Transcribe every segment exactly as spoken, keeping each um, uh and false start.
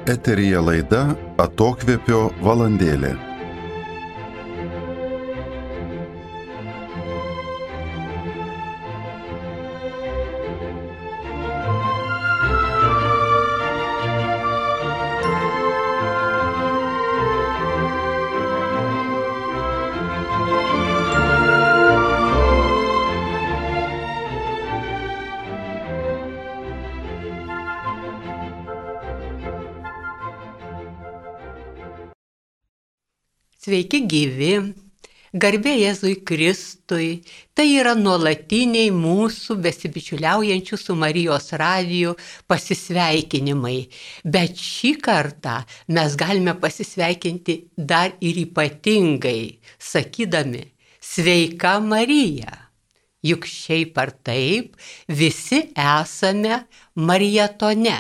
Eteryje laida Atokvėpio valandėlė. Sveiki gyvi, garbė Jėzui Kristui, tai yra nuolatiniai mūsų besibičiuliaujančių su Marijos radiju pasisveikinimai. Bet šį kartą mes galime pasisveikinti dar ir ypatingai, sakydami sveika Marija. Juk šiaip ar taip visi esame Marijatone.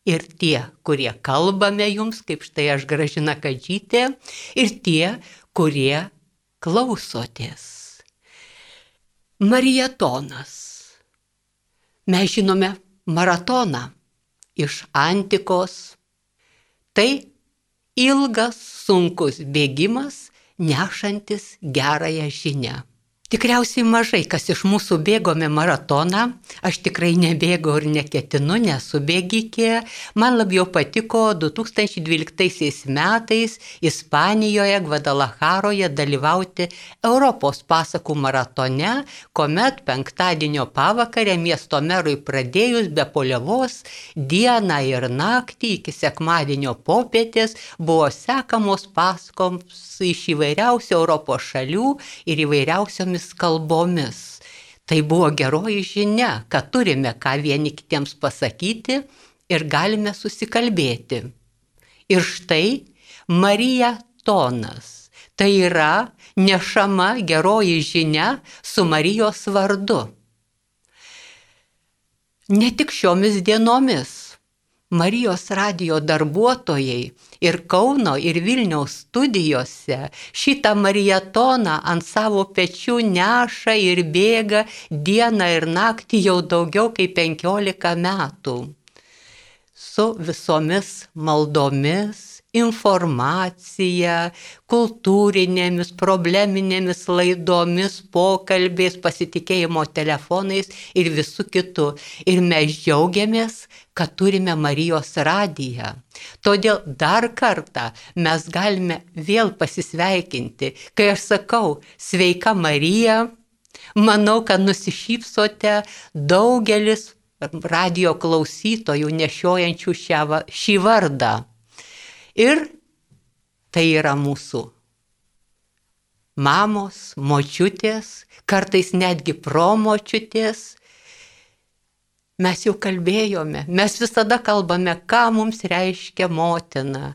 Ir tie, kurie kalbame jums, kaip štai aš Gražina Kadžytė, ir tie, kurie klausotės. Marijatonas. Mes žinome maratoną iš antikos. Tai ilgas, sunkus bėgimas, nešantis gerąją žinią. Tikriausiai mažai, kas iš mūsų bėgome maratoną, aš tikrai nebėgau ir neketinu, nesu bėgikė. Man labiau patiko du tūkstančiai dvyliktaisiais metais Ispanijoje, Gvadalacharoje dalyvauti Europos pasakų maratone, kuomet penktadienio pavakarę miesto merui pradėjus be poliavos dieną ir naktį iki sekmadienio popietės buvo sekamos pasakoms iš įvairiausių Europos šalių ir įvairiausiomis kalbomis. Tai buvo geroji žinia, kad turime ką vieni kitiems pasakyti ir galime susikalbėti. Ir štai Marijatonas. Tai yra nešama geroji žinia su Marijos vardu. Ne tik šiomis dienomis. Marijos radijo darbuotojai ir Kauno ir Vilniaus studijose šitą marijatoną ant savo pečių neša ir bėga dieną ir naktį jau daugiau kaip penkiolika metų. Su visomis maldomis, informacija, kultūrinėmis, probleminėmis laidomis, pokalbiais, pasitikėjimo telefonais ir visų kitų. Ir mes džiaugiamės, kad turime Marijos radiją. Todėl dar kartą mes galime vėl pasisveikinti. Kai aš sakau sveika Marija, manau, kad nusišypsote daugelis radijo klausytojų nešiojančių šią, šį vardą. Ir tai yra mūsų mamos, močiutės, kartais netgi promočiutės. Mes jau kalbėjome, mes visada kalbame, ką mums reiškia motina.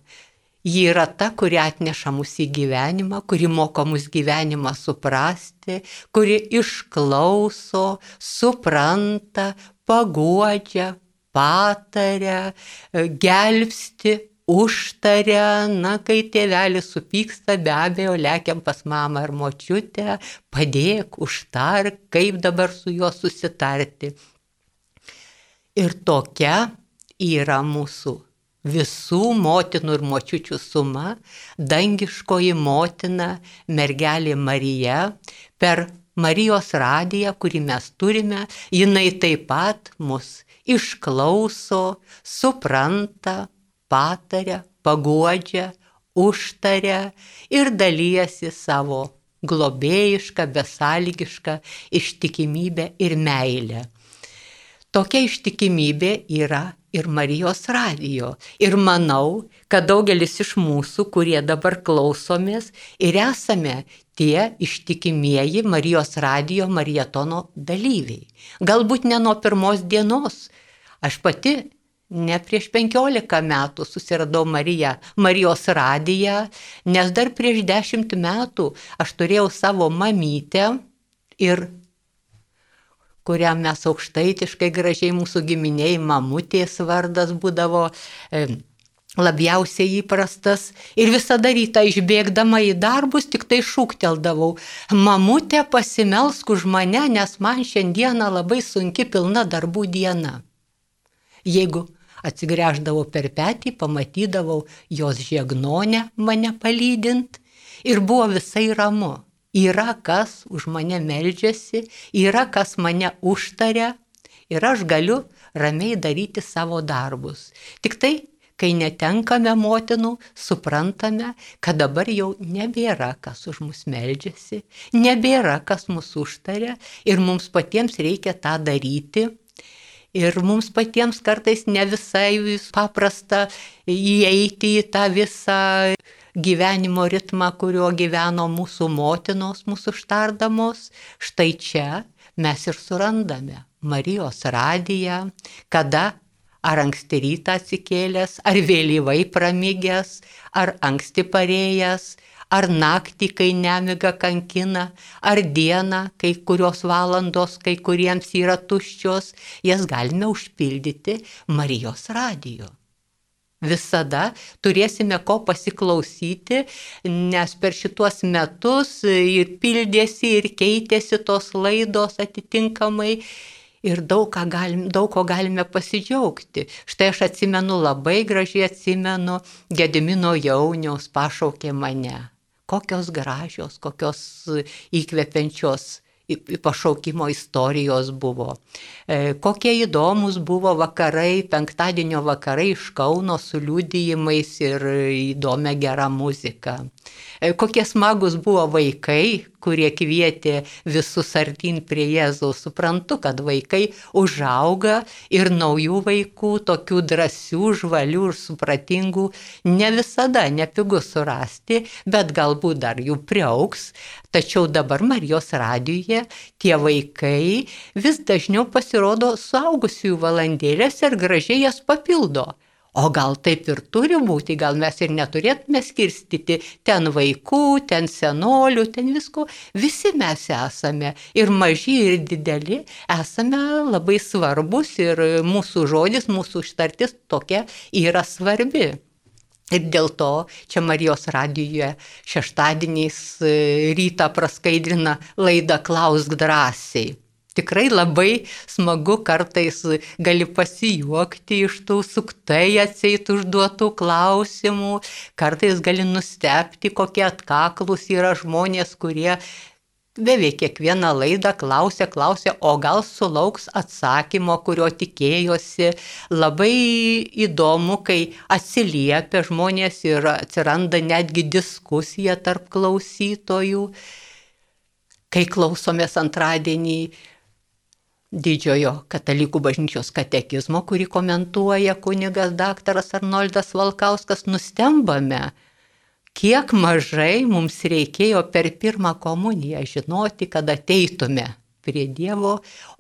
Ji yra ta, kuri atneša mus į gyvenimą, kuri moko mus gyvenimą suprasti, kuri išklauso, supranta, paguodžia, pataria, gelbsti, užtaria. Na, kai tėvelis supyksta, be abejo, lekiam pas mamą ar močiutę, padėk, užtark, kaip dabar su juo susitarti. Ir tokia yra mūsų visų motinų ir močiučių suma, dangiškoji motina, mergelė Marija, per Marijos radiją, kurį mes turime, jinai taip pat mus išklauso, supranta, pataria, paguodžia, užtaria ir dalyjasi savo globėjišką, besąlygišką ištikimybę ir meilę. Tokia ištikimybė yra ir Marijos radijo. Ir manau, kad daugelis iš mūsų, kurie dabar klausomės ir esame tie ištikimieji Marijos radijo marijatono dalyviai. Galbūt ne nuo pirmos dienos. Aš pati ne prieš penkiolika metų susiradau Mariją, Marijos radiją, nes dar prieš dešimt metų aš turėjau savo mamytę ir kurią mes aukštaitiškai gražiai mūsų giminiai mamutės vardas būdavo e, labiausiai įprastas. Ir visada rytą išbėgdama į darbus tik tai šūkteldavau: mamutė, pasimelsk už mane, nes man šiandieną labai sunki pilna darbų diena. Jeigu Atsigręždavau per petį, pamatydavau jos žiegnonę mane palydint ir buvo visai ramu. Yra kas už mane meldžiasi, yra kas mane užtaria ir aš galiu ramiai daryti savo darbus. Tik tai, kai netenkame motinų, suprantame, kad dabar jau nebėra kas už mus meldžiasi, nebėra kas mus užtaria ir mums patiems reikia tą daryti. Ir mums patiems kartais ne visai paprasta įeiti į tą visą gyvenimo ritmą, kurio gyveno mūsų motinos, mūsų užtardamos. Štai čia mes ir surandame Marijos radiją, kada ar anksti rytą atsikėlęs, ar vėlyvai pramigęs, ar anksti parėjęs, ar naktį, kai nemiga kankina, ar dieną, kai kurios valandos, kai kuriems yra tuščios, jas galime užpildyti Marijos radiju. Visada turėsime ko pasiklausyti, nes per šituos metus ir pildėsi, ir keitėsi tos laidos atitinkamai. Ir daug, ką galim, daug ko galime pasidžiaugti. Štai aš atsimenu, labai gražiai atsimenu, Gedimino Jauniaus pašaukė mane. Kokios gražios, kokios įkvepiančios pašaukimo istorijos buvo. E, kokie įdomus buvo vakarai, penktadienio vakarai iš Kauno su liudijimais ir įdomia gera muzika. E, kokie smagus buvo vaikai, kurie kvietė visus artyn prie Jėzaus. Suprantu, kad vaikai užauga ir naujų vaikų, tokių drąsių, žvalių ir supratingų, ne visada nepigu surasti, bet galbūt dar jų priaugs. Tačiau dabar Marijos radijuje tie vaikai vis dažniau pasirodo suaugusiųjų valandėlės ir gražiai jas papildo. O gal taip ir turi būti, gal mes ir neturėtume skirstyti ten vaikų, ten senolių, ten visko. Visi mes esame, ir maži, ir dideli, esame labai svarbus ir mūsų žodis, mūsų ištartis tokia yra svarbi. Ir dėl to čia Marijos radijuje šeštadieniais rytą praskaidrina laidą Klausk drąsiai. Tikrai labai smagu, kartais gali pasijuokti iš tų suktai atseit užduotų klausimų, kartais gali nustebti, kokie atkaklus yra žmonės, kurie beveik kiekvieną laidą klausia, klausia, o gal sulauks atsakymo, kurio tikėjosi. Labai įdomu, kai atsiliepia žmonės ir atsiranda netgi diskusija tarp klausytojų. Kai klausomės antradienį Didžiojo katalikų bažnyčios katekizmo, kurį komentuoja kunigas daktaras Arnoldas Valkauskas, nustembame, kiek mažai mums reikėjo per pirmą komuniją žinoti, kad ateitume prie Dievo,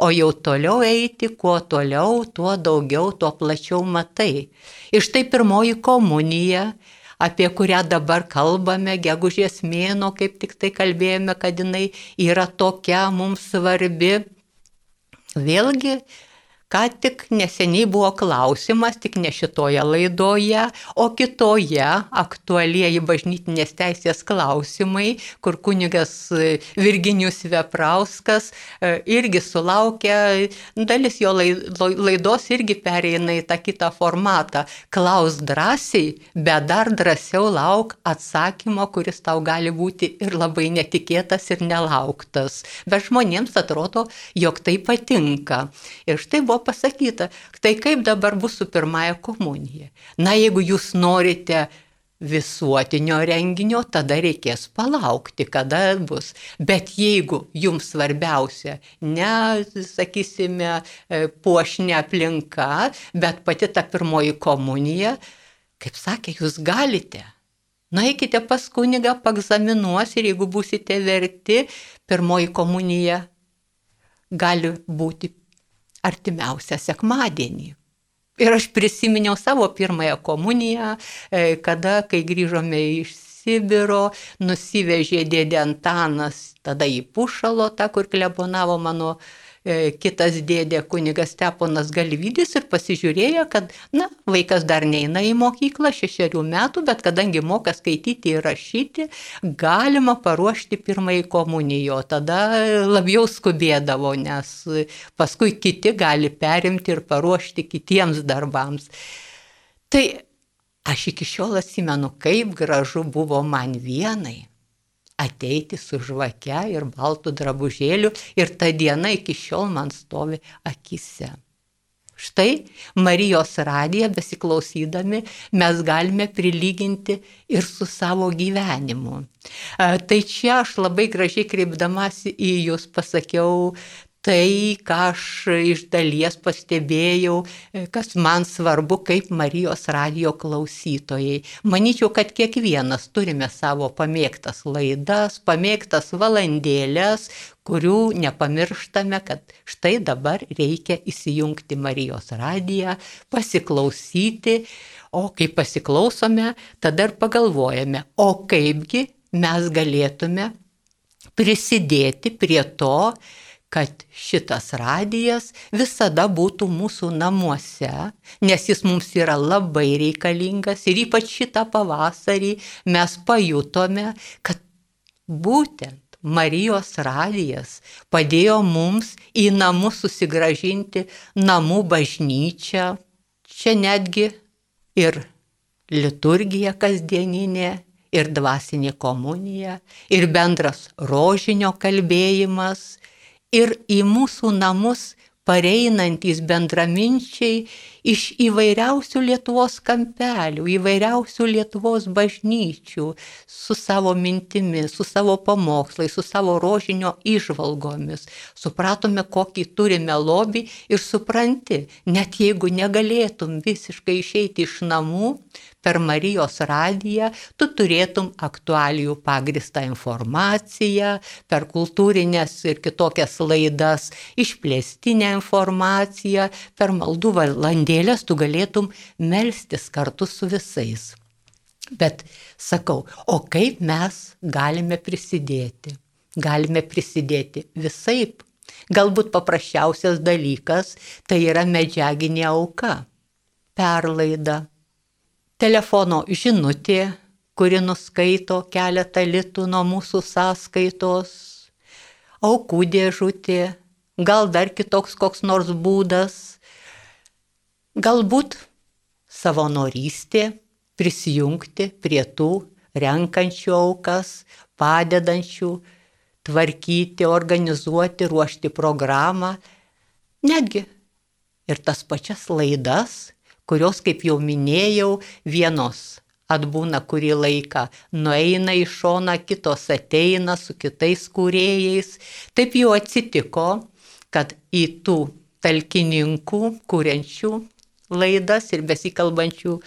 o jau toliau eiti, kuo toliau, tuo daugiau, tuo plačiau matai. Ir štai pirmoji komunija, apie kurią dabar kalbame, gegužės mėnuo, kaip tik tai kalbėjome, kad jinai yra tokia mums svarbi. Vėlgi, ką tik neseniai buvo klausimas, tik ne šitoje laidoje, o kitoje aktualieji bažnytinės teisės klausimai, kur kunigas Virginijus Veprauskas irgi sulaukia, dalis jo laidos irgi pereina į tą kitą formatą. Klausk drąsiai, bet dar drąsiau lauk atsakymo, kuris tau gali būti ir labai netikėtas ir nelauktas. Bet žmonėms atrodo, jog tai patinka. Ir štai buvo pasakyta, tai kaip dabar bus su pirmąja komunija. Na, jeigu jūs norite visuotinio renginio, tada reikės palaukti, kada bus. Bet jeigu jums svarbiausia, ne, sakysime, puošni aplinka, bet pati ta pirmoji komunija, kaip sakė, jūs galite. Nueikite pas kunigą, paegzaminuos ir jeigu būsite verti, pirmoji komunija gali būti artimiausią sekmadienį. Ir aš prisiminiau savo pirmąją komuniją, kada, kai grįžome iš Sibiro, nusivežė dėdė Antanas tada į Pušalotą, kur klebonavo mano kitas dėdė kunigas Steponas Galvydis ir pasižiūrėjo, kad, na, vaikas dar neina į mokyklą, šešerių metų, bet kadangi moka skaityti ir rašyti, galima paruošti pirmąjį komunijo. Tada labiau skubėdavo, nes paskui kiti gali perimti ir paruošti kitiems darbams. Tai aš iki šiol atsimenu, kaip gražu buvo man vienai ateiti su žvake ir baltų drabužėliu ir ta diena iki šiol man stovi akise. Štai Marijos radiją besiklausydami mes galime prilyginti ir su savo gyvenimu. Tai čia aš labai gražiai kreipdamasi į jūs pasakiau tai, ką aš iš dalies pastebėjau, kas man svarbu kaip Marijos radijo klausytojai. Manyčiau, kad kiekvienas turime savo pamėgtas laidas, pamėgtas valandėlės, kurių nepamirštame, kad štai dabar reikia įsijungti Marijos radiją, pasiklausyti, o kai pasiklausome, tada ir pagalvojame, o kaipgi mes galėtume prisidėti prie to, kad šitas radijas visada būtų mūsų namuose, nes jis mums yra labai reikalingas ir ypač šitą pavasarį mes pajutome, kad būtent Marijos radijas padėjo mums į namus susigrąžinti namų bažnyčią, čia netgi ir liturgija kasdieninė, ir dvasinė komunija, ir bendras rožinio kalbėjimas, ir į mūsų namus pareinantys bendraminčiai iš įvairiausių Lietuvos kampelių, įvairiausių Lietuvos bažnyčių, su savo mintimis, su savo pamokslais, su savo rožinio įžvalgomis. Supratome, kokį turime lobį ir supranti, net jeigu negalėtum visiškai išeiti iš namų, per Marijos radiją tu turėtum aktualijų pagristą informaciją, per kultūrinės ir kitokias laidas išplėstinę informaciją, per maldų valandėlės tu galėtum melstis kartu su visais. Bet sakau, o kaip mes galime prisidėti? Galime prisidėti visaip. Galbūt paprasčiausias dalykas tai yra medžiaginė auka, perlaida. Telefono žinutė, kuri nuskaito keletą litų nuo mūsų sąskaitos, aukų dėžutė, gal dar kitoks koks nors būdas, galbūt savanorystė, prisijungti prie tų renkančių aukas, padedančių tvarkyti, organizuoti, ruošti programą, netgi ir tas pačias laidas, kurios, kaip jau minėjau, vienos atbūna kurį laiką, nueina į šoną, kitos ateina su kitais kūrėjais. Taip jau atsitiko, kad į tų talkininkų, kuriančių laidas ir besikalbančių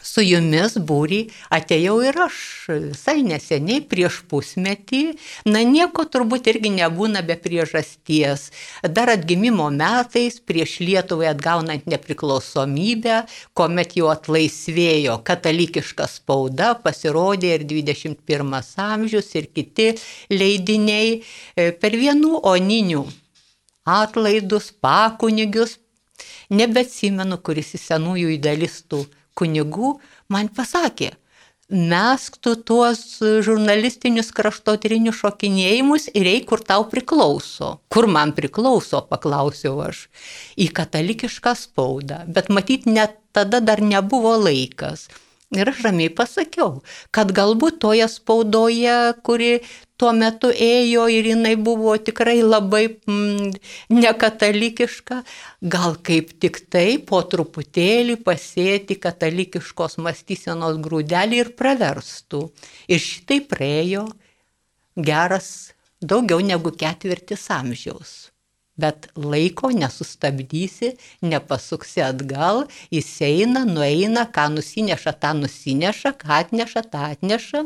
su jumis būrį atėjau ir aš visai neseniai prieš pusmetį. Na nieko turbūt irgi nebūna be priežasties. Dar atgimimo metais prieš Lietuvai atgaunant nepriklausomybę, kuomet jau atlaisvėjo katalikiška spauda, pasirodė ir dvidešimt pirmas amžius ir kiti leidiniai per vienų oninių atlaidus, pakunigius. Nebeatsimenu, kuris į senųjų idealistų kunigų man pasakė, mesk tu tuos žurnalistinius kraštotyrinius šokinėjimus ir eik, kur tau priklauso. Kur man priklauso, paklausiau aš. Į katalikišką spaudą, bet matyt, net tada dar nebuvo laikas. Ir aš ramiai pasakiau, kad galbūt toje spaudoje, kuri tuo metu ėjo ir jinai buvo tikrai labai mm, nekatalikiška, gal kaip tik tai po truputėlį pasėti katalikiškos mąstysenos grūdelį ir praverstų. Ir šitai praėjo geras daugiau negu ketvirtis amžiaus. Bet laiko nesustabdysi, nepasuksi atgal, jis eina, nueina, ką nusineša, tą nusineša, ką atneša, tą atneša.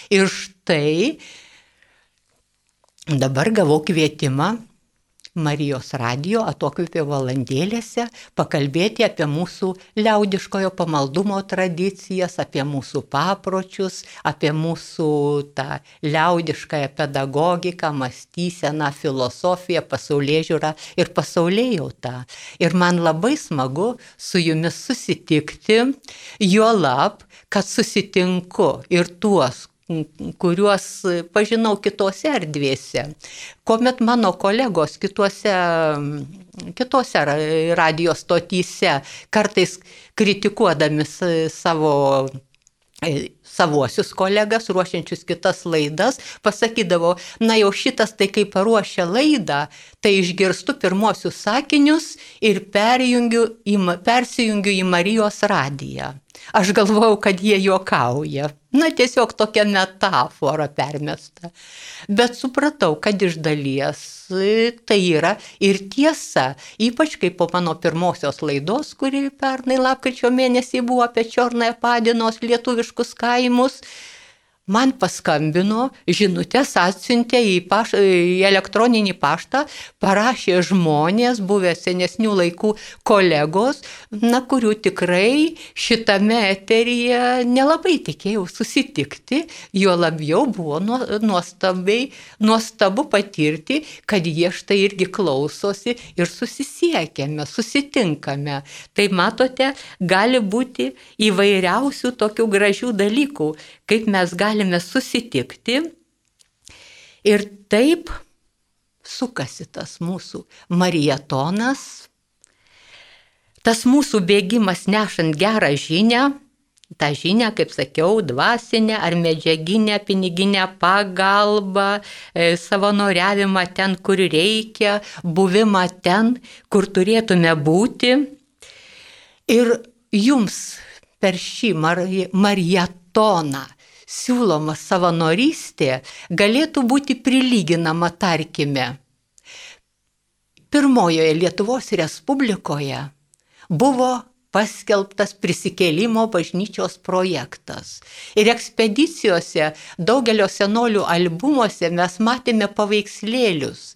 Ir štai dabar gavau kvietimą Marijos radijo atokvėpio valandėlėse pakalbėti apie mūsų liaudiškojo pamaldumo tradicijas, apie mūsų papročius, apie mūsų tą liaudiškąją pedagogiką, mąstyseną, filosofiją, pasaulėžiūrą ir pasaulėjautą. Ir man labai smagu su jumis susitikti, juolab, kad susitinku ir tuos, kuriuos pažinau kitose erdvėse. Kuomet mano kolegos kitose, kitose radijo stotyse kartais kritikuodami savo, savuosius kolegas, ruošiančius kitas laidas, pasakydavo, na jau šitas tai kai paruošia laidą, tai išgirstu pirmosius sakinius ir perjungiu į, persijungiu į Marijos radiją. Aš galvojau, kad jie juokauja. Na, tiesiog tokia metafora permesta. Bet supratau, kad iš dalies tai yra ir tiesa, ypač kaip po mano pirmosios laidos, kuri pernai lapkričio mėnesį buvo apie Čiornąją Padinos lietuviškus kaimus, man paskambino, žinutės atsiuntė į, paš, į elektroninį paštą, parašė žmonės, buvę senesnių laikų kolegos, na, kurių tikrai šitame eteryje nelabai tikėjau susitikti, jo labiau buvo nuostabiai, nuostabu patirti, kad jie štai irgi klausosi ir susisiekėme, susitinkame. Tai matote, gali būti įvairiausių tokių gražių dalykų, kaip mes galime susitikti ir taip sukasi tas mūsų marietonas, tas mūsų bėgimas nešant gerą žinią, tą žinią, kaip sakiau, dvasinę ar medžiaginę, piniginę pagalbą, savanoriavimą ten, kur reikia, buvimą ten, kur turėtume būti. Ir jums per šį marietoną siūloma savanorystė galėtų būti prilyginama, tarkime, pirmojoje Lietuvos Respublikoje buvo paskelbtas prisikėlimo bažnyčios projektas. Ir ekspedicijose, daugelio senolių albumuose mes matėme paveikslėlius.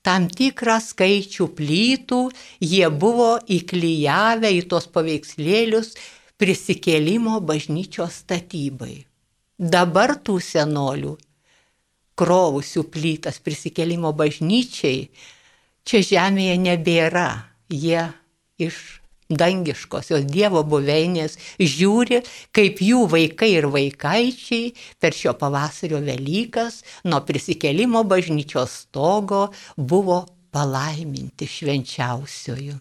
Tam tikrą skaičių plytų jie buvo įklijavę į tos paveikslėlius prisikėlimo bažnyčios statybai. Dabar tų senolių, krovusių plytas prisikėlimo bažnyčiai, čia žemėje nebėra. Jie iš dangiškosios Dievo buveinės žiūri, kaip jų vaikai ir vaikaičiai per šio pavasario Velykas nuo prisikėlimo bažnyčios stogo buvo palaiminti švenčiausiojų.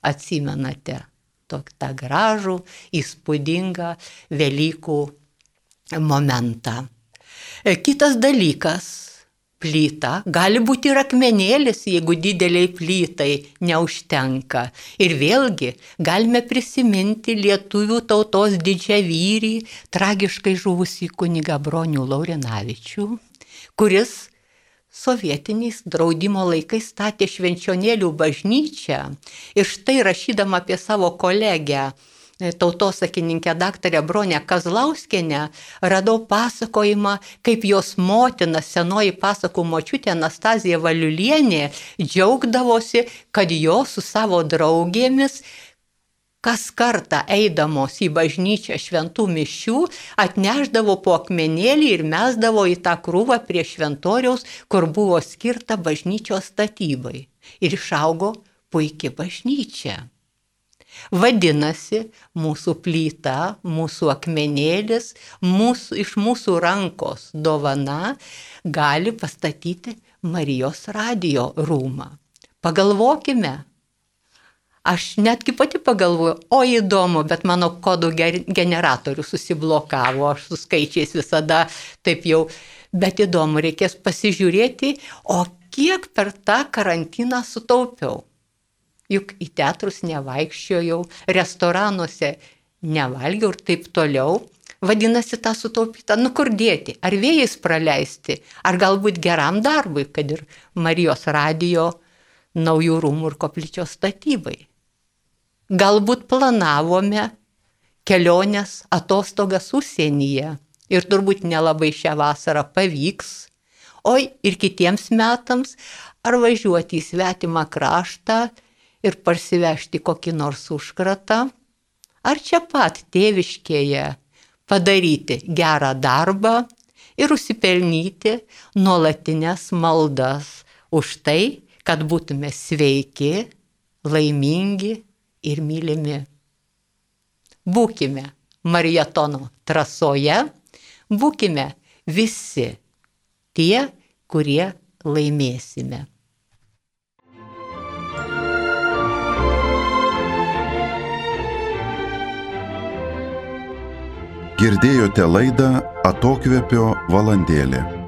Atsimenate tą gražų, įspūdingą Velykų momentą. Kitas dalykas, plyta, gali būti ir akmenėlis, jeigu dideliai plytai neužtenka. Ir vėlgi galime prisiminti lietuvių tautos didžiavyrį, tragiškai žuvusį kunigą Bronių Laurinavičių, kuris sovietiniais draudimo laikais statė Švenčionėlių bažnyčią. Ir štai rašydama apie savo kolegę, tautosakininkę daktarę Bronę Kazlauskienę, radau pasakojimą, kaip jos motina, senoji pasakų močiutė Anastazija Valiulienė, džiaugdavosi, kad jos su savo draugėmis kas kartą eidamos į bažnyčią šventų mišių atneždavo po akmenėlį ir mesdavo į tą krūvą prie šventoriaus, kur buvo skirta bažnyčios statybai. Ir išaugo puikia bažnyčia. Vadinasi, mūsų plyta, mūsų akmenėlis, mūsų, iš mūsų rankos dovana gali pastatyti Marijos radijo rūmą. Pagalvokime. Aš netgi pati pagalvoju, o įdomu, bet mano kodų generatorius susiblokavo, aš su skaičiais visada taip jau, bet įdomu, reikės pasižiūrėti, o kiek per tą karantiną sutaupiau. Juk į teatrus nevaikščiojau, restoranuose nevalgiau ir taip toliau. Vadinasi, tą sutaupytą, nu kur dėti, ar vėjais praleisti, ar galbūt geram darbui, kad ir Marijos radijo naujų rūmų ir koplyčios statybai. Galbūt planavome kelionės atostogas užsienyje ir turbūt nelabai šią vasarą pavyks, oi ir kitiems metams, ar važiuoti į svetimą kraštą ir parsivežti kokį nors užkratą, ar čia pat tėviškėje padaryti gerą darbą ir užsipelnyti nuolatinės maldas už tai, kad būtume sveiki, laimingi ir mylimi. Būkime marijatono trasoje, būkime visi tie, kurie laimėsime. Girdėjote laidą Atokvėpio valandėlė.